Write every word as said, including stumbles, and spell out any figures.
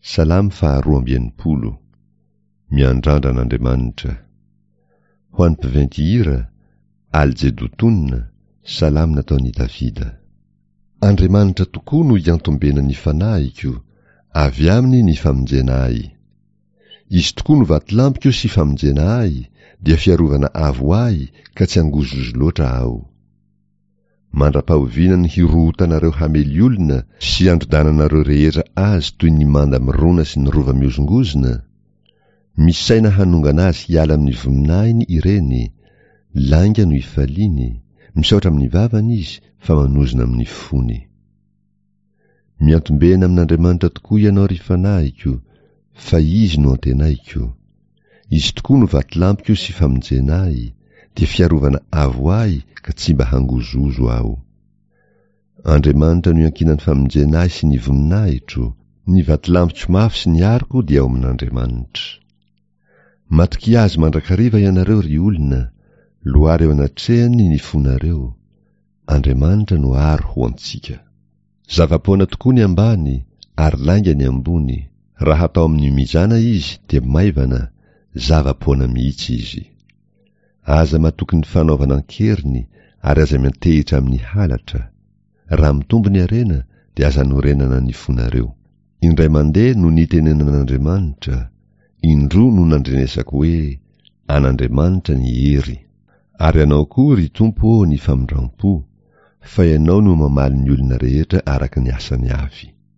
Salamo faharoa amby enimpolo. Miandrandra an'Andriamanitra. Ho an'ny mpiventy hira, Al-Jedotona, salamo nataon'i Davida. Andriamanitra tokoa no iantombenan'ny fanahiko, avy aminy ny famonjena ahy. Izy tokoa no vatolampiko sy famonjena ahy, dia fiarovana avo ahy ka tsy angozozo loatra aho. Mandra-pahoviana ny hirohotanareo hamely olona sy androdananareo rehetra azy toy ny manda mirona sy ny rova mihozongozona? Misaina hanongana azy hiala amin'ny voninahiny ireny, lainga no ifaliany, misaotra amin'ny vavany izy fa manozona amin'ny fony. Miantombena amin'Andriamanitra tokoa ianao ry fanahiko, fa izy no antenaiko. Izy tokoa no vatolampiko sy famonjena ahy, dia fiarovana avo ahy ka tsy mba hangozozo aho. Andriamanitra no iankinan'ny famonjena ahy sy ny voninahitro, ny vatolampiko mafy sy ny aroko dia ao amin'Andriamanitra. Matokia azy mandrakariva ianareo ry olona, loary eo anatrehany ny fonareo. Andriamanitra no aro ho antsika. Zava-poana tokoa ny ambany ary lainga ny ambony, raha atao amin'ny mizana izy dia maivana, zava-poana mihitsy izy. Aza matoky ny fanaovana an-keriny ary aza miantehitra amin'ny halatra. Raha mitombo ny harena dia aza anorenana ny fonareo. Indray mandeha no nitenenan'Andriamanitra, indroa no nandrenesako hoe an'Andriamanitra ny hery. Ary anao koa ry Tompo ô ny famindram-po, fa ianao no mamaly ny olona rehetra araka ny asany avy.